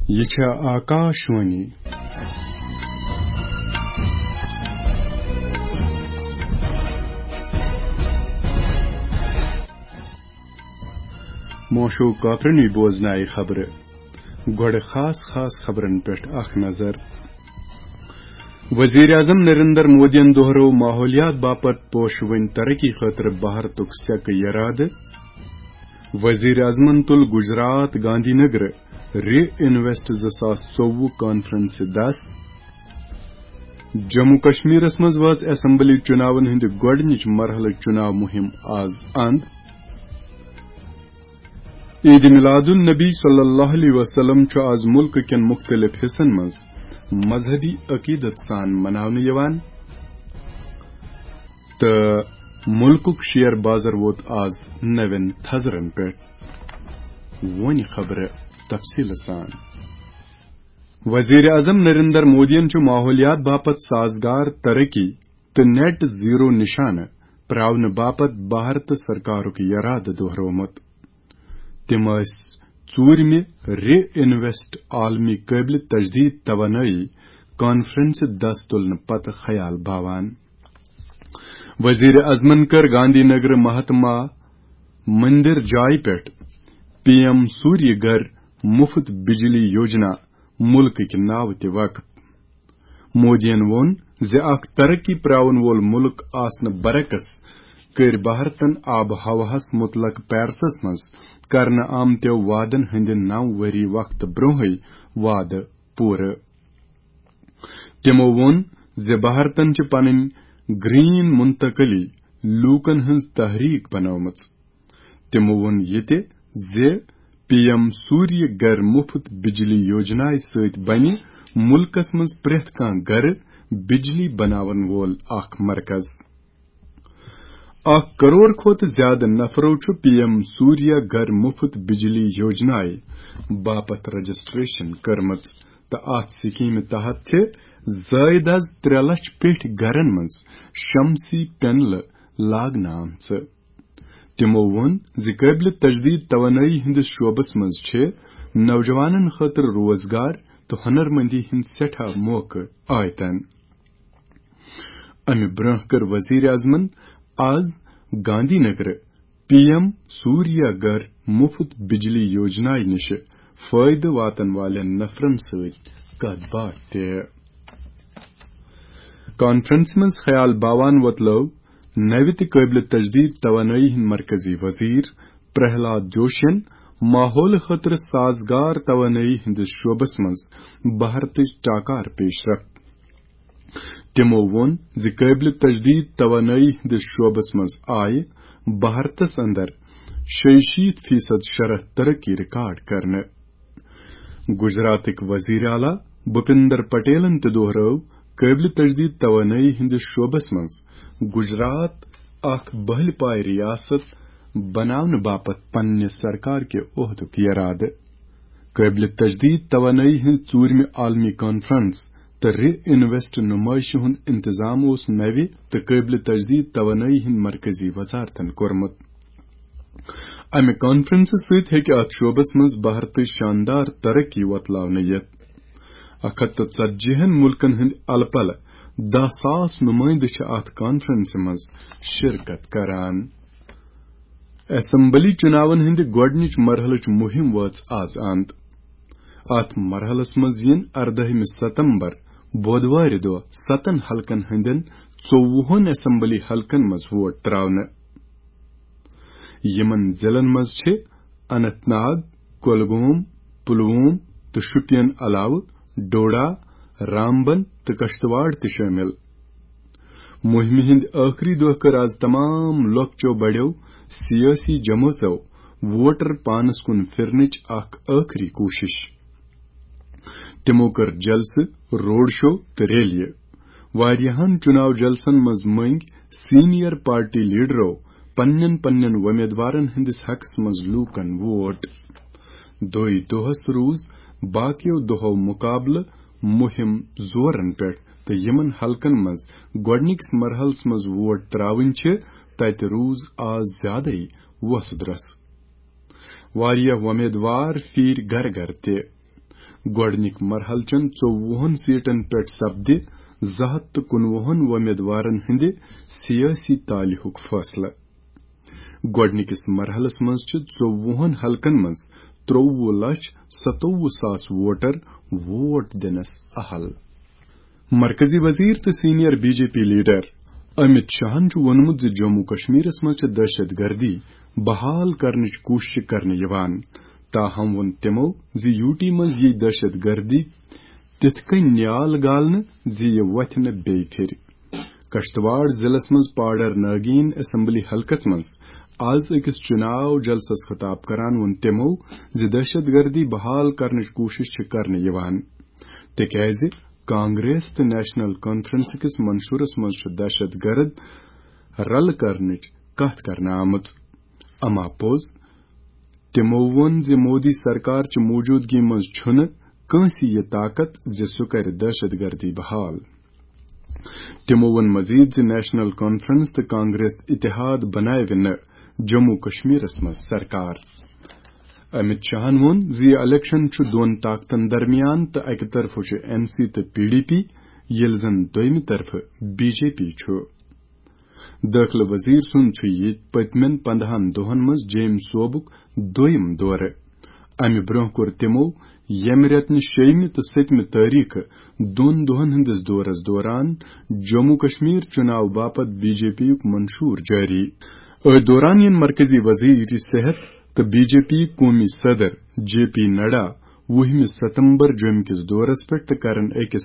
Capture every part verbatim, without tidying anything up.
یہِ چھےٚ آکاشوانی۔ موشو کاپرنی بوزنایہِ خبرٕ۔ گۄڈٕ خاص خاص خبرن پٮ۪ٹھ اکھ نظر۔ وزیر اعظم نریندر مودیَن دوہرو ماحولیات باپتھ پوشوٕنۍ ترقی خٲطرٕ بھارتُک سیکہٕ یرادٕ۔ وزیر اعظمن تُل گجرات گاندھی نگر ری انویسٹ زٕ ساس ژوٚوُہ کانفرنسہِ دس۔ جموں کشمیرس منٛز وٲژ اسمبلی چُناون ہٕنٛدِ گۄڈٕنِچ مرحلہٕ چُناو مُہِم آز اند۔ عید میلاد النبی صلی اللہ علیہ وسلم چھُ آز مُلکہٕ کٮ۪ن مُختٔلِف حصن منٛز مذہبی عقیدت سان مناونہٕ یِوان تہٕ مُلکُک شیر بازر ووت آز نوٮ۪ن تھزرن پٮ۪ٹھ۔ وۄنۍ خبرٕ تفصیٖلہٕ سان۔ وزیر اعظم نریندر مودیَن چھُ ماحولیات باپتھ سازگار ترقی تہٕ نیٹ زیرو نشانہٕ پراونہٕ باپتھ بھارت سرکارُک یرادٕ دوہرومُت۔ تِم ٲسۍ ژوٗرمہِ ری انویسٹ عالمی قٲبلِ تجدید توانٲیی کانفرنسہِ دس تُلنہٕ پتہٕ خیال باوان۔ وزیر اعظمن کٔر گاندھی نگر مہاتما مندر جایہِ پٮ۪ٹھ پی ایم سوریہ گھر مفت بجلی یوجنا مُلکٕکۍ ناوٕ تہِ وقف۔ مودیَن ووٚن زِ اکھ ترقی پراون وول مُلک آسنہٕ برعکس کٔرۍ بھارتن آب و ہوہَس مُتعلق پیرسس منٛز کرنہٕ آمتیو وعدن ہٕنٛدِ نو ؤری وقتہٕ برونٛہٕے وعدٕ پوٗرٕ۔ تِمو ووٚن زِ بھارتن چھِ پنٕنۍ گرین منتقلی لوٗکن ہٕنٛز تحریک بنٲومٕژ۔ تِمو ووٚن یہِ تہِ زِ پی ایم سوریہ گھر مفت بجلی یوجنایہِ سۭتۍ بنہِ مُلکس منٛز پرٛٮ۪تھ کانٛہہ گھرٕ بجلی بناون وول اکھ مرکز۔ اکھ کرور کھۄتہٕ زیادٕ نفرو چھُ پی ایم سوریہ گھر مفت بجلی یوجنایہِ باپتھ رجسٹریشن کٔرمٕژ تہٕ اتھ سکیمہِ تحت چھِ زائد از ترٛےٚ لچھ پیٹھۍ گھرن منٛز شمسی پینلہٕ لاگنہٕ آمژٕ۔ تِمو ووٚن زِ قٲبلِ تجدید توانٲیی ہٕنٛدِس شعبس منٛز چھِ نوجوانن خٲطرٕ روزگار تہٕ ہنرمندی ہٕنٛدۍ سٮ۪ٹھاہ موقعہٕ آیتن۔ امہِ برٛونٛہہ کٔر وزیر اعظمن آز گاندھی نگر پی ایم سوریہ گھر مفت بجلی یوجنایہِ نِش فٲیدٕ واتن والٮ۪ن نفرن سۭتۍ کتھ باتھ تہِ۔ کانفرنس منٛز خیال باوان وۄتلٲو نوِ تہٕ قٲبلِ تجدید توانٲیی ہٕنٛدۍ مرکزی وزیر پرہلاد جوشین ماحول خٲطرٕ سازگار توانٲیی ہٕنٛدِس شعبس منٛز بھارتٕچ ٹاکار پیش رفت۔ تِمو ووٚن زِ قٲبلِ تجدید توانٲیی ہٕنٛدِس شعبس منٛز آیہِ بھارتس اندر شیٚیہِ شیٖتھ فیصد شرح ترقی ریکارڈ کرنہٕ۔ گجراتٕکۍ وزیر اعلیٰ بھوپیندر پٹیلن تہِ دوہرٲو قٲبلِ تجدید توانٲیی ہٕنٛدِس شعبس منٛز گجرات اکھ بٔہلہِ پایہِ ریاست بناونہٕ باپتھ پننہِ سرکار کہِ عہدُک یرادٕ۔ قٲبلِ تجدید توانٲیی ہٕنٛز ژوٗرمہِ عالمی کانفرنس تہٕ ری انویسٹ نمٲیشہِ ہُنٛد انتظام اوس نوِ تہٕ قٲبلِ تجدید توانٲیی ہٕنٛدۍ مرکزی وزارتن کوٚرمُت۔ امہِ کانفرنسہٕ سۭتۍ ہیٚکہِ اتھ شعبس منٛز بھارتٕچ شاندار ترقی وۄتلاونہٕ یِتھ۔ اکھ ہتھ تہٕ ژتجی ہن مُلکن ہٕنٛدۍ الہٕ پلہٕ دَہ ساس نُمٲیندٕ چھِ اتھ کانفرنسہِ منٛز شرکت کران۔ اسمبلی چُناون ہٕنٛدِ گۄڈٕنِچ مرحلٕچ مُہِم وٲژ آز اند۔ اتھ مرحلس منٛز یِن اردٲہمہِ ستمبر بودوارِ دۄہ ستن حلقن ہٕنٛدٮ۪ن ژوٚوُہن اسمبلی حلقن منٛز ووٹ تراونہٕ۔ یِمن ضلعن منٛز چھِ اننت ناگ، کۄلگوم، پلووم تہٕ شوپین علاوٕ ڈوڈا، رامبن تہٕ کشتواڑ تہِ شٲمِل۔ مُہِمہِ ہٕنٛدِ ٲخری دۄہ کٔر آز تمام لۄکچو بڑیو سیٲسی جمٲژو ووٹر پانس کُن پھِرنٕچ اکھ ٲخری کوٗشش۔ تِمو کٔر جلسہٕ، روڈ شو تہٕ ریلیہِ۔ واریاہن چُناو جلسن منٛز مٔنگۍ سینئر پارٹی لیڈرو پننٮ۪ن پننٮ۪ن وۄمیدوارن ہٕنٛدِس حقس منٛز لوٗکن ووٹ۔ دۄے دۄہس روٗز باقیو دۄہو مُقابلہٕ مُہِم زورن پٮ۪ٹھ تہٕ یِمن حلقن منٛز گۄڈٕنِکِس مرحلس منٛز ووٹ تراوٕنۍ چھِ، تتہِ روٗز آز زیادَے وۄسہٕ درۄسہٕ۔ واریاہ وۄمیدوار پھیٖرۍ گرٕ گرٕ تہِ۔ گۄڈٕنِکۍ مرحلہٕ چٮ۪ن ژوٚوُہن سیٹن پٮ۪ٹھ سپدِ زٕ ہتھ تہٕ کُنوُہن وۄمیدوارن ہٕنٛدِ سیٲسی تالہِ ہُک فٲصلہٕ۔ گۄڈٕنِکِس مرحلس منٛز چھِ ژوٚوُہن حلقن منٛز ترٛوٚوُہ لچھ ستووُہ ساس ووٹر ووٹ دِنس اہل۔ مرکزی وزیر تہٕ senior B J P leader Amit شاہن چھُ ووٚنمُت زِ جموں کشمیرس منٛز چھِ دہشت گردی بحال کرنٕچ کوٗشش کرنہٕ یِوان۔ تاہم ووٚن تِمو زِ یوٗ ٹی منٛز یِیہِ دہشت گردی تِتھ کٔنۍ نیال گالنہٕ زِ یہِ وۄتھِ نہٕ بیٚیہِ پھِرِ۔ کشتواڑ ضلعس منٛز پاڈر ناگین اسمبلی حلقس منٛز آز أکِس چُناو جلسس خطاب کران ووٚن تِمو زِ دہشت گردی بحال کرنٕچ کوٗشش چھِ کرنہٕ یِوان، تِکیازِ کانگریس تہٕ نیشنل کانفرنس کِس منشورس منٛز چھُ دہشت گرد رلہٕ کرنٕچ کتھ کرنہٕ آمٕژ۔ اما پوٚز، تِمو ووٚن زِ مودی سرکار چہِ موجودگی منٛز چھُنہٕ کٲنٛسہِ یہِ طاقت زِ سُہ کرِ دہشت گردی بحال۔ تِمو ووٚن مزید زِ نیشنل کانفرنس تہٕ کانگریس اتحاد بناوِ نہٕ جموں کشمیرس منٛز سرکار۔ امت شاہن ووٚن زِ یہِ الیکشن چھُ دۄن طاقتن درمیان تہٕ اکہِ طرفہٕ چھُ این سی تہٕ پی ڈی پی، ییٚلہِ زن دوٚیمہِ طرفہٕ بی جے پی چھُ۔ دٲخلہٕ وزیر سُنٛد چھُ یہِ پٔتمٮ۪ن پندہن دۄہن منٛز جیٚمۍ صوبُک دوٚیِم دورٕ۔ امہِ برٛونٛہہ کوٚر تِمو ییٚمہِ رٮ۪تہٕ نہِ شیٚیِمہِ تہٕ سٔتمہِ تٲریخہٕ دۄن دۄہن ہٕنٛدِس دورس دوران جموں کشمیر چُناو باپتھ بی جے پی یُک منشور جٲری۔ أتھۍ دوران یِن مرکزی وزیر صحت تہٕ بی جے پی قومی صدر جے پی نڈا وُہمہِ ستمبر جوٚمہِ کِس دورس پٮ۪ٹھ تہٕ کرن أکِس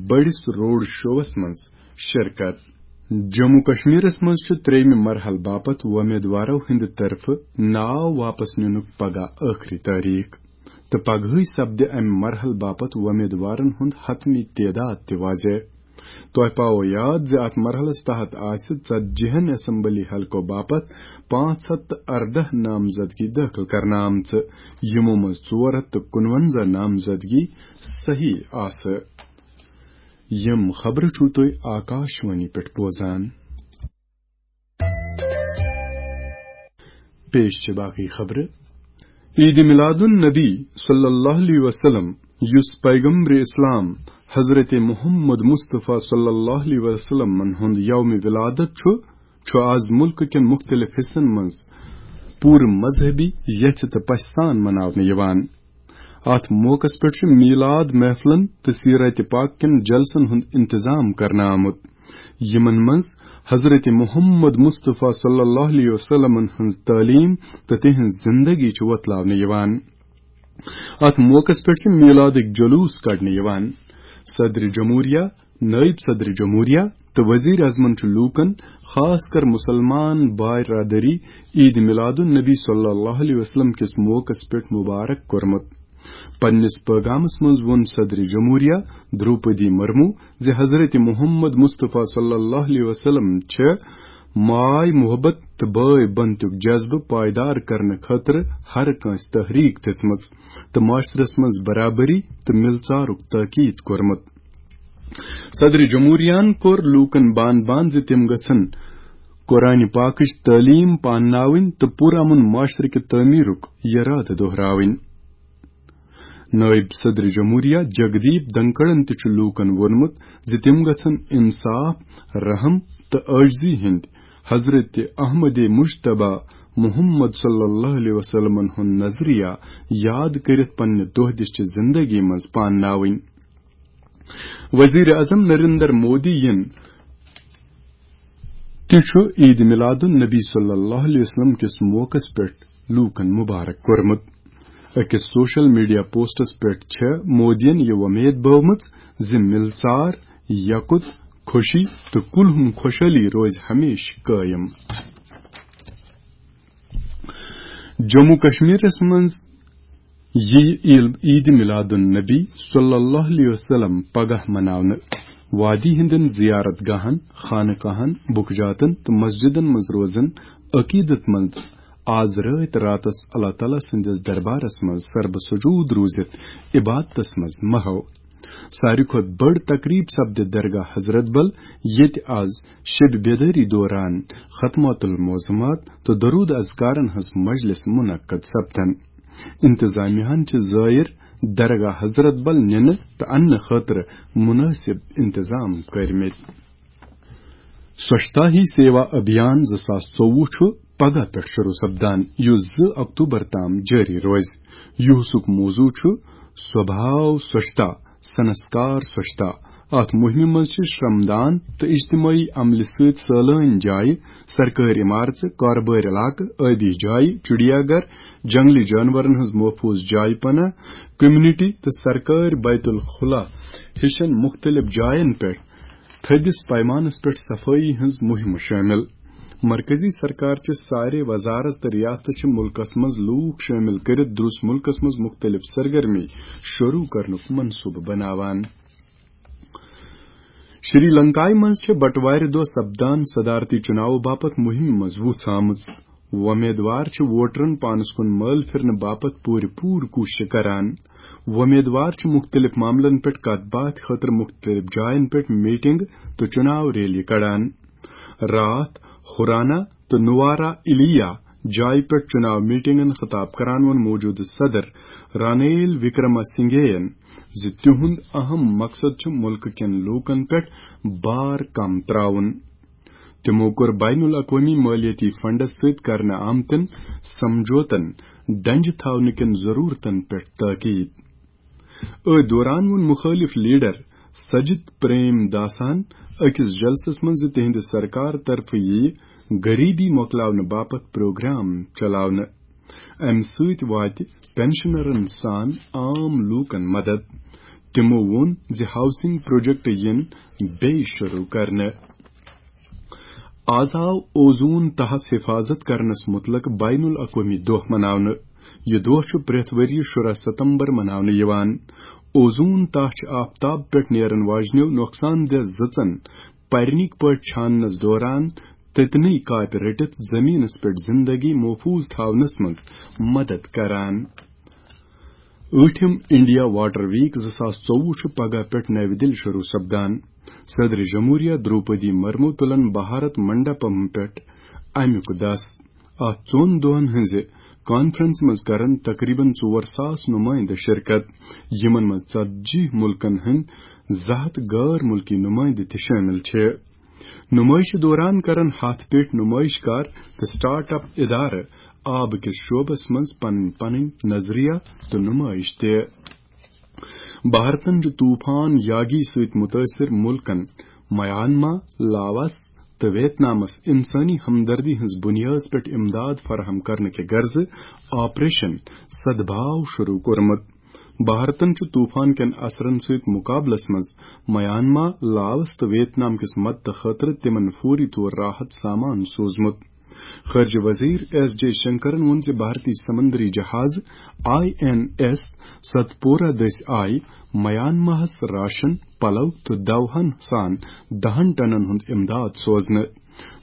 بٔڑِس روڈ شووس منٛز شرکت۔ جموں کشمیرس منٛز چھُ ترٛیٚیمہِ مرحلہٕ باپتھ وۄمیدوارو ہٕنٛدِ طرفہٕ ناو واپس نِنُک پگاہ ٲخری تٲریخ تہٕ پگہٕے سپدِ امہِ مرحلہٕ باپتھ وۄمیدوارن ہُنٛد حتمی تعداد تہِ واضح۔ تۄہہِ پاوو یاد زِ اتھ مرحلس تحت آسہِ ژتجی ہن اسمبلی حلقو باپتھ پانٛژھ ہتھ تہٕ ارداہ نامزدگی دٲخل کرنہٕ آمژٕ، یِمو منٛز ژور ہتھ تہٕ کُنونزہ نامزدگی صحیح آسہٕ۔ یِم خبرٕ چھِو تُہۍ آکاشوانی پٮ۪ٹھ بوزان۔ پیش چھِ باقٕے خبرٕ۔ عید میلاد النبی صلی اللہ علیہ وسلم، یُس پیغمبر اسلام حضرت محمد مصطفیٰ صلی اللہ علیہ وسلمن ہُنٛد یوم ولادت چھُ، چھُ آز مُلکہٕ کٮ۪ن مُختٔلِف حصن منٛز پوٗرٕ مذہبی یژھِ تہٕ پژھِ سان مناونہٕ یِوان۔ اتھ موقعس پٮ۪ٹھ چھُ میلاد محفلن تہٕ سیرت پاک کٮ۪ن جلسن ہُنٛد انتظام کرنہٕ آمُت، یِمن منٛز حضرت محمد مصطفیٰ صلی اللہ علیہ وسلمن ہٕنٛز تعلیٖم تہٕ تِہنٛز زندگی چھِ وۄتلاونہٕ یِوان۔ اتھ موقعس پٮ۪ٹھ چھِ میلادٕکۍ جلوس کڑنہٕ یِوان۔ صدر جمہوریہ، نائب صدر جمہوریہ تہٕ وزیر اعظمن چھُ لوٗکن، خاص کر مسلمان برادری، عید میلاد النبی صلی اللہ علیہ وسلم کِس موقعس پٮ۪ٹھ مبارک کوٚرمُت۔ پننِس پیغامس منٛز ووٚن صدر جمہوریہ دروپدی مرمو زِ حضرت محمد مصطفیٰ صلی اللہ علیہ وسلم چھِ ماے محبت تہٕ بٲے بنتُک جذبہٕ پائیدار کرنہٕ خٲطرٕ ہر کٲنٛسہِ تحریک دِژمٕژ تہٕ معاشرس منٛز برابری تہٕ مِلژارُک تاکید کوٚرمُت۔ صدر جمہوریہن کوٚر لوٗکن بان بان زِ تِم گژھن قرآن پاکٕچ تعلیٖم پانناوٕنۍ تہٕ پُرامن معاشرٕ کہِ تعمیٖرُک یرادٕ دۄہراوٕنۍ۔ نائب صدر جمہوریہ جگدیپ دھنکڑن تہِ چھُ لوٗکن ووٚنمُت زِ تِم گژھن انصاف، رحم تہٕ عاجزی ہٕنٛدۍ حضرت احمد مجتبیٰ محمد صلی اللہ علیہ وسلمن ہُنٛد نظریہ یاد کٔرِتھ پننہِ دۄہ دِش چہِ زندگی منٛز پانناوٕنۍ۔ وزیر اعظم نریندر مودی یَن تہِ چھُ عید میلاد النبی صلی اللہ علیہ وسلم کِس موقعس پٮ۪ٹھ لوٗکن مبارک کوٚرمُت۔ أکِس سوشل میڈیا پوسٹس پٮ۪ٹھ چھےٚ مودیَن یہِ وۄمید بٲومٕژ زِ مِلژار، یکُت، خوشی تہٕ کُلہُم خوشحٲلی روزِ ہمیشہٕ قٲیِم۔ جموں کشمیرس منٛز یِیہِ عیل-، عید میلاد النبی صلی اللہ علیہ وسلم پگاہ مناونہٕ۔ وادی ہٕنٛدٮ۪ن زیارت گاہن، خانقاہن، بُکجاتن تہٕ مسجدن منٛز روزن عقیدت مند آز رٲتۍ راتس اللہ تعالیٰ سٕنٛدِس دربارس منٛز سربہٕ سجود روٗزِتھ عبادتس منٛز محو۔ ساروی کھۄتہٕ بٔڑ تقریب سپدِ درگاہ حضرت بل، ییٚتہِ آز شب بیدٲری دوران ختمات المعظمات تہٕ درود اذکارن ہٕنٛز مجلس منعقد سپدن۔ انتظامیہ ہن چھِ زائر درگاہ حضرت بل نِنہٕ تہٕ اننہٕ خٲطرٕ مناسب انتظام کٔرمٕتۍ۔ سوچھتا ہی سیوا ابھیان زٕ ساس ژوٚوُہ چھُ پگاہ پٮ۪ٹھ شروع سپدان، یُس زٕ اکتوبر تام جٲری روزِ۔ یُہُسُک موضوع چھُ سوبھاو سوچھتا، سنسکار سوچھتا۔ اتھ مُہِمہِ منٛز چھِ شرمدان تہٕ اجتمٲعی عملہِ سۭتۍ سٲلٲنۍ جایہِ، سرکٲرۍ عمارژٕ، کارٕبٲرۍ علاقہٕ، ٲبی جایہِ، چڑیا گھر، جنگلی جانورن ہٕنٛز محفوظ جایہِ پناہ، کمیونٹی تہٕ سرکٲرۍ بیت الخلا ہِشن مُختٔلِف جاین پٮ۪ٹھ تھٔدِس پیمانس پٮ۪ٹھ صفٲیی ہٕنٛز مُہِم شٲمِل۔ مرکزی سرکار چہِ سارے وزارت تہٕ ریاستہٕ چھِ مُلکس منٛز لوٗکھ شٲمِل کٔرِتھ درُس مُلکس منٛز مُختٔلِف سرگرمی شروع کرنُک منصوٗبہٕ بناوان۔ شری لنکایہِ منٛز چھِ بٹوارِ دۄہ سپدان صدارتی چُناوٕ باپتھ مُہِم مضبوٗط آمٕژ۔ وۄمیدوار چھِ ووٹرن پانس کُن مٲل پھِرنہٕ باپتھ پوٗرٕ پوٗرٕ کوٗشش کران۔ وۄمیدوار چھِ مُختٔلِف معاملن پٮ۪ٹھ کتھ باتھ خٲطرٕ مُختٔلِف جاین پٮ۪ٹھ میٹنگ تہٕ چُناو ریلی کڑان۔ راتھ، ہرانا تہٕ نوارا ایلیا جایہِ پٮ۪ٹھ چُناو میٹنگن خطاب کران ووٚن موجودٕ صدر رانیل وکرما سنگھے ین زِ تِہُنٛد اہم مقصد چھُ مُلکہٕ کٮ۪ن لوٗکن پٮ۪ٹھ بار کم تراوُن۔ تِمو کوٚر بین الاقوٲمی مٲلیٲتی فنڈس سۭتۍ کرنہٕ آمتٮ۪ن سمجھوتن ڈنجہِ تھاونہٕ کٮ۪ن ضروٗرتن پٮ۪ٹھ تٲکید۔ أتھۍ دوران ووٚن مُخٲلِف لیڈر سجت پریم داسن أکِس جلسس منٛز زِ تِہنٛدِ سرکار طرفہٕ یِیہِ غریبی مۄکلاونہٕ باپتھ پروگرام چلاونہٕ۔ امہِ سۭتۍ واتہِ پینشنرن سان عام لوٗکن مدد۔ تِمو ووٚن زِ ہاؤسنگ پروجیکٹ یِن بیٚیہِ شروع کرنہٕ۔ آز آو اوزون تہس حفاظت کرنس متعلق بین الاقوٲمی دۄہ مناونہٕ۔ یہِ دۄہ چھُ پرٛٮ۪تھ ؤرۍ یہِ شُراہ ستمبر مناونہٕ یِوان۔ اوزون تہہ چھِ آفتاب پٮ۪ٹھ نیرن واجنیو نۄقصان دہ زٕژن پرنٕکۍ پٲٹھۍ چھاننس دوران تٔتنٕے کاپہِ رٔٹِتھ زٔمیٖنس پٮ۪ٹھ زندگی محفوظ تھاونس منٛز مدد کران۔ ٲٹھِم انڈیا واٹر ویک زٕ ساس ژوٚوُہ چھُ پگاہ پٮ۪ٹھ نَوِ دِلہِ شروع سپدان۔ صدر جمہوریہ دروپدی مرمو تُلن بھارت منڈپم پٮ۪ٹھ امیُک دس۔ اتھ ژۄن دۄہن ہٕنزِ کانفرنس منٛز کرن تقریباً ژور ساس نُمٲیندٕ شرکت، یِمن منٛز ژتجی مُلکن ہٕنٛدۍ زٕ ہتھ غٲر مُلکی نُمٲیندٕ تہِ شٲمِل چھِ۔ نُمٲیشہِ دوران کرن ہتھ پیٹھ نُمٲیش کار تہٕ سٹارٹ اپ ادارٕ آبہٕ کِس شعبس منٛز پنٕنۍ پنٕنۍ نظریات تہٕ نُمٲیش تہِ۔ بھارتن چھُ طوفان یاگی سۭتۍ مُتٲثِر مُلکن میانما، لاوس تہٕ ویتنامس انسٲنی ہمدردی ہٕنٛز بُنیٲد پٮ۪ٹھ امداد فراہم کرنہٕ کہِ غرضہٕ آپریشن سدبھاو شروع کوٚرمُت۔ بھارتن چھُ طوفان کٮ۪ن اثرن سۭتۍ مُقابلس منٛز میانما، لاوس تہٕ ویتنام کِس مدتہٕ خٲطرٕ تِمن فوری طور راحت سامان سوٗزمُت۔ خارجہ وزیر ایس جے شنکرن ووٚن زِ بھارتی سمندری جہاز آئی این ایس ستپورہ دٔسۍ آیہِ میانماہس راشن، پلو تہٕ دوہن سان دہن ٹنن ہُنٛد امداد سوزنہٕ۔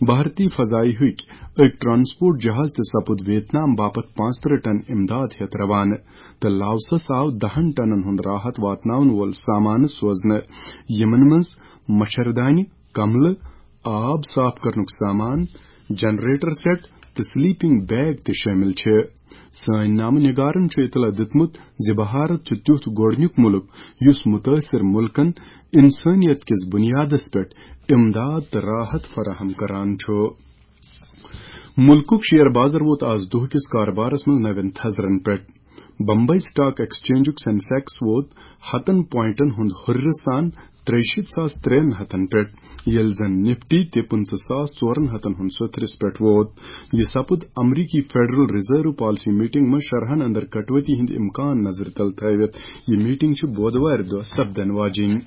بھارتی فضائیہ ہٕکۍ أکۍ ٹرانسپورٹ جہاز تہِ سپُد ویتنام باپتھ پانٛژترٕہ ٹن امداد ہٮ۪تھ روانہٕ تہٕ لاوسس آو دہن ٹنن ہُنٛد راحت واتناون وول سامانہٕ سوزنہٕ، یِمن منٛز مچھردانہِ، کملہٕ، آب صاف کرنُک سامان، جنریٹر سیٹ تہٕ سلیپنگ بیگ تہِ شٲمِل چھِ۔ سٲنۍ نامہ نگارن چھُ اطلاع دیُتمُت زِ بھارت چھُ تیُتھ گۄڈٕنیُک مُلک یُس مُتٲثر مُلکن انسٲنیت کِس بُنیادس پٮ۪ٹھ امداد تہٕ راحت فراہم کران چھُ۔ مُلکُک شیئر بازر ووت آز دۄہ کِس کارٕبارس منٛز نوٮ۪ن تھزرن پٮ۪ٹھ۔ بمبئی سٹاک ایکسچینجُک سینسیکس ووت ہتن پوائنٹن ہُنٛد ہُرِرٕ سان ترٛیہِ شیٖتھ ساس ترٛٮ۪ن ہتن پٮ۪ٹھ، ییٚلہِ زن نفٹی تہِ پٕنٛژٕہ ساس ژورن ہتن ہُنٛد سوٚتھرِس پٮ۪ٹھ ووت۔ یہِ سپُد امریکی فیڈرل ریزرو پالیسی میٹنگ منٛز شرحن اندر کٹوتی ہٕنٛدۍ امکان نظرِ تل تھٲوِتھ۔ یہِ میٹنگ چھِ بودوارِ دۄہ سپدن واجِنۍ۔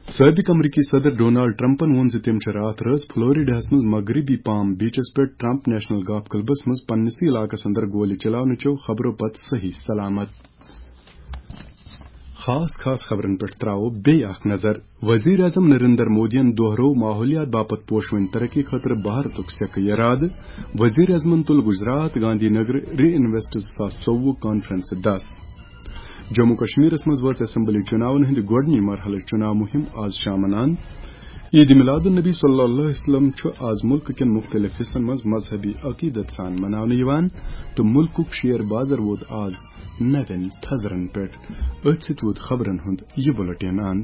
سٲبق امریکی صدر ڈونالڈ ٹرمپن ووٚن زِ تِم چھِ راتھ رٲژ فلوریڈاہس منٛز مغربی پام بیچس پٮ۪ٹھ ٹرمپ نیشنل گالف کلبس منٛز پننِسٕے علاقس اندر گولہِ چلاونہٕ چیو خبرو پتہٕ صحیح سلامت۔ خاص خاص خبرن پٮ۪ٹھ تراوو بیٚیہِ اکھ نظر۔ وزیر اعظم نریندر مودیَن دوہرو ماحولیات باپتھ پوشوٕنۍ ترقی خٲطرٕ بھارتُک سیکہٕ یرادٕ۔ وزیر اعظمن تُل گجرات گاندھی نگر ری انویسٹ زٕ ساس ژوٚوُہ کانفرنسہِ دس۔ جموں کشمیرس منٛز وٲژ اسمبلی چُناون ہٕنٛدِ گۄڈٕنی مرحلٕچ چُناو مُہِم آز شامن اند۔ عید میلاد النبی صلی اللہ علیہ وسلم چھُ آز ملک کٮ۪ن مختلف حصن منٛز مذہبی عقیدت سان مناونہٕ یِوان، تہٕ ملکُک شیر بازر ووت آز نوٮ۪ن تھزرن پٮ۪ٹھ۔ أتھۍ سۭتۍ ووت خبرن ہُنٛد یہِ بُلٹین اند۔